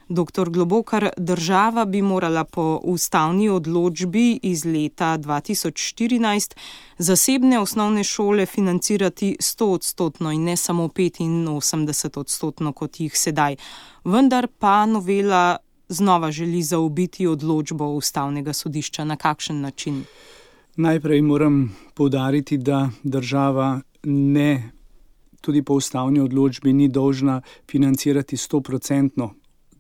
Dr. Globokar, država bi morala po ustavni odločbi iz leta 2014 zasebne osnovne šole financirati 100% in ne samo 85%, kot jih sedaj. Vendar pa novela znova želi zaobiti odločbo ustavnega sodišča. Na kakšen način? Najprej moram poudariti, da država tudi po ustavni odločbi ni dolžna financirati 100%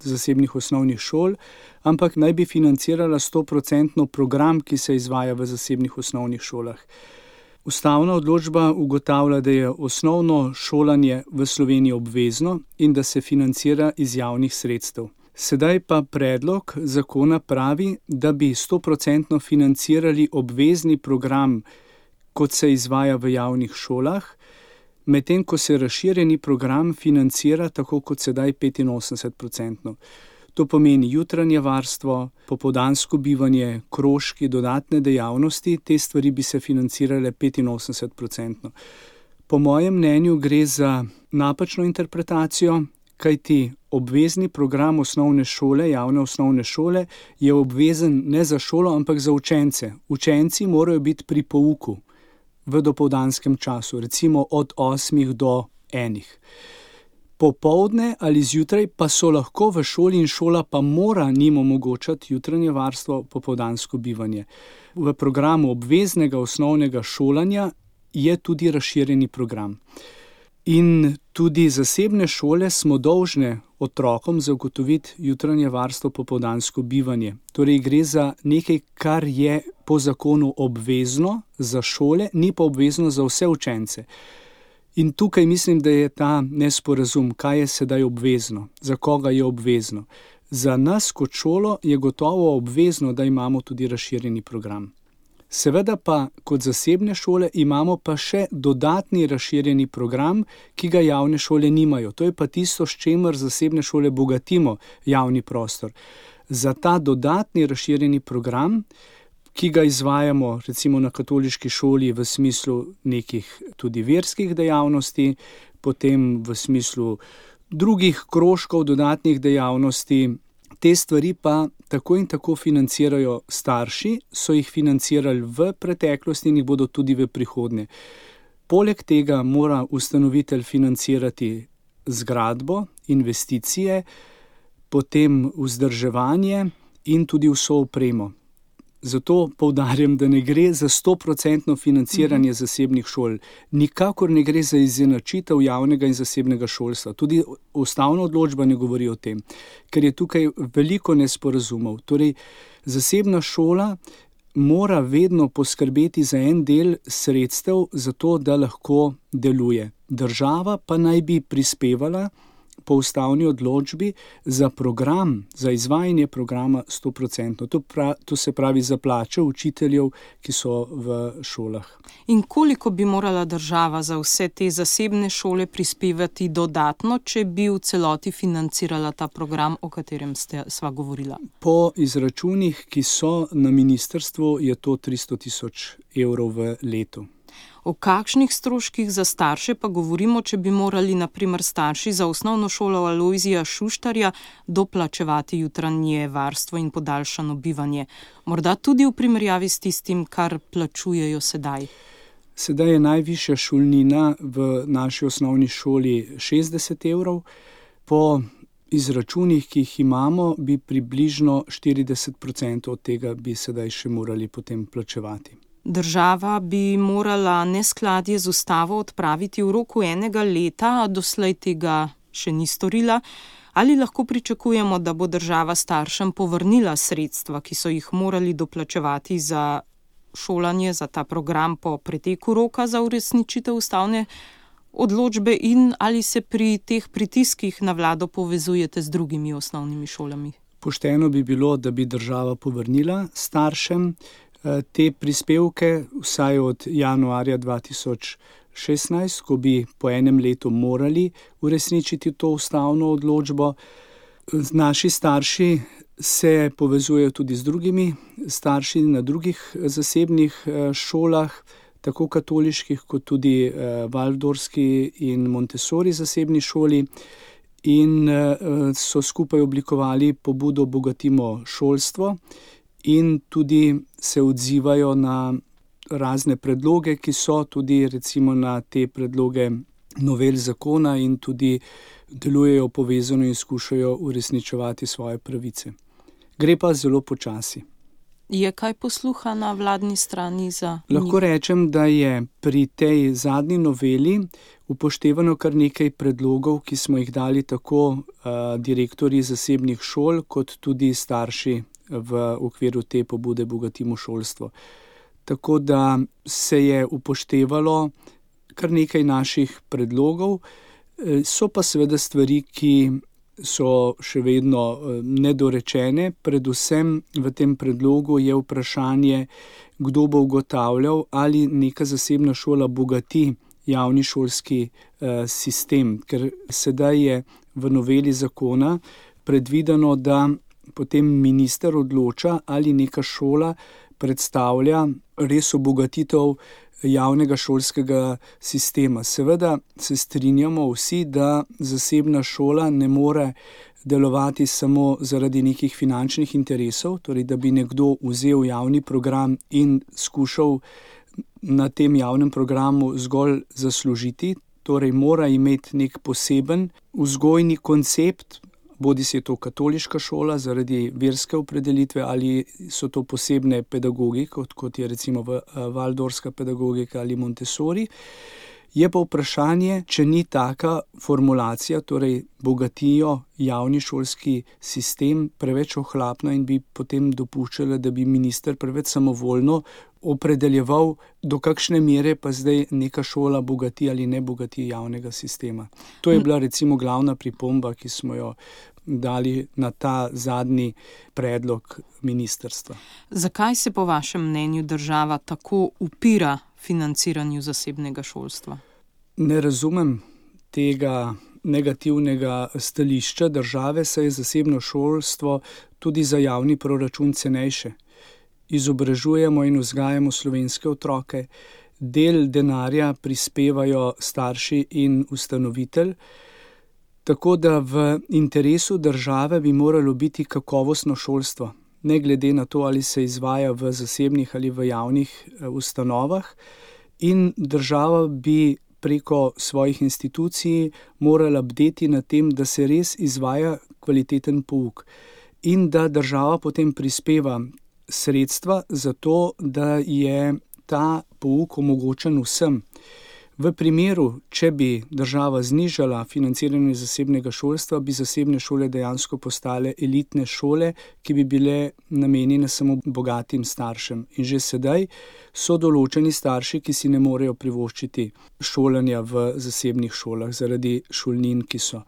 zasebnih osnovnih šol, ampak naj bi financirala 100% program, ki se izvaja v zasebnih osnovnih šolah. Ustavna odločba ugotavlja, da je osnovno šolanje v Sloveniji obvezno in da se financira iz javnih sredstev. Sedaj pa predlog zakona pravi, da bi 100% financirali obvezni program, kot se izvaja v javnih šolah, medtem ko se razširjeni program financira tako kot sedaj 85%. To pomeni jutranje varstvo, popoldansko bivanje, krožki, dodatne dejavnosti, te stvari bi se financirale 85%. Po mojem mnenju gre za napačno interpretacijo, kajti obvezni program osnovne šole, javne osnovne šole, je obvezen ne za šolo, ampak za učence. Učenci morajo biti pri pouku v dopoldanskem času, recimo od 8 do 1. Popoldne ali zjutraj pa so lahko v šoli in šola pa mora njim omogočati jutranje varstvo, popoldansko bivanje. V programu obveznega osnovnega šolanja je tudi razširjeni program. In tudi zasebne šole smo dolžne otrokom zagotoviti jutranje varstvo, popoldansko bivanje. Torej gre za nekaj, kar je po zakonu obvezno za šole, ni pa obvezno za vse učence. In tukaj mislim, da je ta nesporazum, kaj je sedaj obvezno, za koga je obvezno. Za nas kot šolo je gotovo obvezno, da imamo tudi razširjeni program. Seveda pa kot zasebne šole imamo pa še dodatni razširjeni program, ki ga javne šole nimajo. To je pa tisto, s čimer zasebne šole bogatimo javni prostor. Za ta dodatni razširjeni program, ki ga izvajamo recimo na katoliški šoli v smislu nekih tudi verskih dejavnosti, potem v smislu drugih krožkov, dodatnih dejavnosti, te stvari pa tako in tako financirajo starši, so jih financirali v preteklosti in jih bodo tudi v prihodnje. Poleg tega mora ustanovitelj financirati zgradbo, investicije, potem vzdrževanje in tudi vso opremo. Zato poudarjam, da ne gre za 100% financiranje zasebnih šol. Nikakor ne gre za izenačitev javnega in zasebnega šolstva. Tudi ustavna odločba ne govori o tem, ker je tukaj veliko nesporazumov. Torej, zasebna šola mora vedno poskrbeti za en del sredstev, zato da lahko deluje. Država pa naj bi prispevala po ustavni odločbi za program, za izvajanje programa 100%. To se pravi za plače učiteljev, ki so v šolah. In koliko bi morala država za vse te zasebne šole prispevati dodatno, če bi v celoti financirala ta program, o katerem sva govorila? Po izračunih, ki so na ministrstvu, je to 300 000 evrov v letu. O kakšnih stroških za starše pa govorimo, če bi morali na primer starši za osnovno šolo Alojzija Šuštarja doplačevati jutranje varstvo in podaljšano bivanje? Morda tudi v primerjavi s tistim, kar plačujejo sedaj? Sedaj je najvišja šolnina v naši osnovni šoli 60 evrov. Po izračunih, ki jih imamo, bi približno 40% od tega bi sedaj še morali potem plačevati. Država bi morala neskladje z ustavo odpraviti v roku 1 leta, a doslej tega še ni storila. Ali lahko pričakujemo, da bo država staršem povrnila sredstva, ki so jih morali doplačevati za šolanje, za ta program po preteku roka za uresničitev ustavne odločbe, in ali se pri teh pritiskih na vlado povezujete z drugimi osnovnimi šolami? Pošteno bi bilo, da bi država povrnila staršem te prispevke vsaj od januarja 2016, ko bi po enem letu morali uresničiti to ustavno odločbo. Naši starši se povezujejo tudi z drugimi starši na drugih zasebnih šolah, tako katoliških kot tudi Valdorski in Montessori zasebni šoli. in so skupaj oblikovali pobudo Bogatimo šolstvo in tudi se odzivajo na razne predloge, ki so tudi recimo na te predloge novel zakona in tudi delujejo povezano in skušajo uresničevati svoje pravice. Gre pa zelo počasi. Je kaj posluha na vladni strani za njih? Lahko rečem, da je pri tej zadnji noveli upoštevano kar nekaj predlogov, ki smo jih dali tako direktorji zasebnih šol, kot tudi starši v okviru te pobude Bogatimo šolstvo. Tako da se je upoštevalo kar nekaj naših predlogov, so pa seveda stvari, ki so še vedno nedorečene. Predvsem v tem predlogu je vprašanje, kdo bo ugotavljal, ali neka zasebna šola bogati javni šolski sistem, ker sedaj je v noveli zakona predvideno, da potem minister odloča, ali neka šola predstavlja res obogatitev javnega šolskega sistema. Seveda se strinjamo vsi, da zasebna šola ne more delovati samo zaradi nekih finančnih interesov, torej da bi nekdo vzel javni program in skušal na tem javnem programu zgolj zaslužiti, torej mora imeti nek poseben vzgojni koncept, bodisi je to katoliška šola zaradi verske opredelitve ali so to posebne pedagogike, kot je recimo Waldorfska pedagogika ali Montessori. Je pa vprašanje, če ni taka formulacija, torej bogatijo javni šolski sistem, preveč ohlapna in bi potem dopuščala, da bi minister preveč samovoljno opredeljeval, do kakšne mere pa zdaj neka šola bogati ali ne bogati javnega sistema. To je bila recimo glavna pripomba, ki smo jo dali na ta zadnji predlog ministrstva. Zakaj se po vašem mnenju država tako upira financiranju zasebnega šolstva? Ne razumem tega negativnega stališča države, saj je zasebno šolstvo tudi za javni proračun cenejše. Izobražujemo in vzgajamo slovenske otroke, del denarja prispevajo starši in ustanovitelj, tako da v interesu države bi moralo biti kakovostno šolstvo, ne glede na to, ali se izvaja v zasebnih ali v javnih ustanovah, in država bi preko svojih institucij morala bdeti na tem, da se res izvaja kvaliteten pouk in da država potem prispeva sredstva za to, da je ta pouk omogočen vsem. V primeru, če bi država znižala financiranje zasebnega šolstva, bi zasebne šole dejansko postale elitne šole, ki bi bile namenjene samo bogatim staršem. In že sedaj so določeni starši, ki si ne morejo privoščiti šolanja v zasebnih šolah zaradi šolnin, ki so.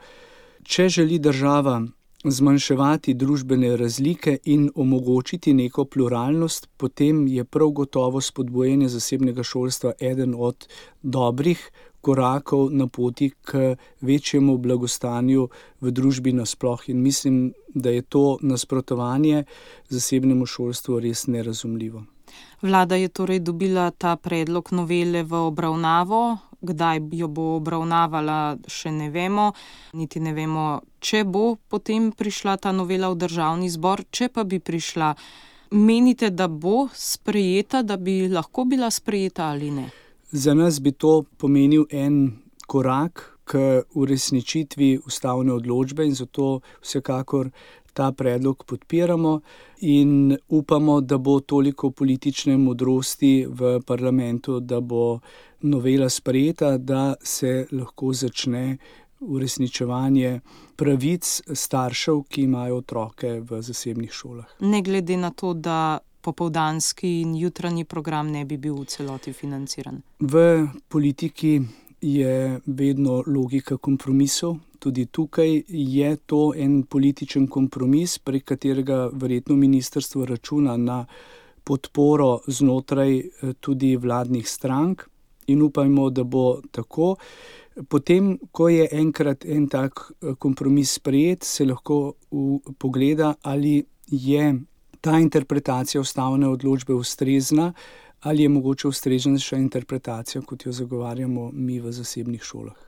Če želi država zmanjševati družbene razlike in omogočiti neko pluralnost, potem je prav gotovo spodbujanje zasebnega šolstva eden od dobrih korakov na poti k večjemu blagostanju v družbi nasploh. In mislim, da je to nasprotovanje zasebnemu šolstvu res nerazumljivo. Vlada je torej dobila ta predlog novele v obravnavo. Kdaj jo bo obravnavala, še ne vemo. Niti ne vemo, če bo potem prišla ta novela v Državni zbor. Če pa bi prišla, menite, da bo sprejeta, da bi lahko bila sprejeta ali ne? Za nas bi to pomenil en korak k uresničitvi ustavne odločbe in zato vsekakor ta predlog podpiramo in upamo, da bo toliko politične modrosti v parlamentu, da bo novela sprejeta, da se lahko začne uresničevanje pravic staršev, ki imajo otroke v zasebnih šolah. Ne glede na to, da popoldanski in jutranji program ne bi bil v celoti financiran. V politiki je vedno logika kompromisov. Tudi tukaj je to en političen kompromis, prek katerega verjetno ministrstvo računa na podporo znotraj tudi vladnih strank in upajmo, da bo tako. Potem, ko je enkrat en tak kompromis sprejet, se lahko pogleda, ali je ta interpretacija ustavne odločbe ustrezna, ali je mogoče ustreznejša interpretacija, kot jo zagovarjamo mi v zasebnih šolah.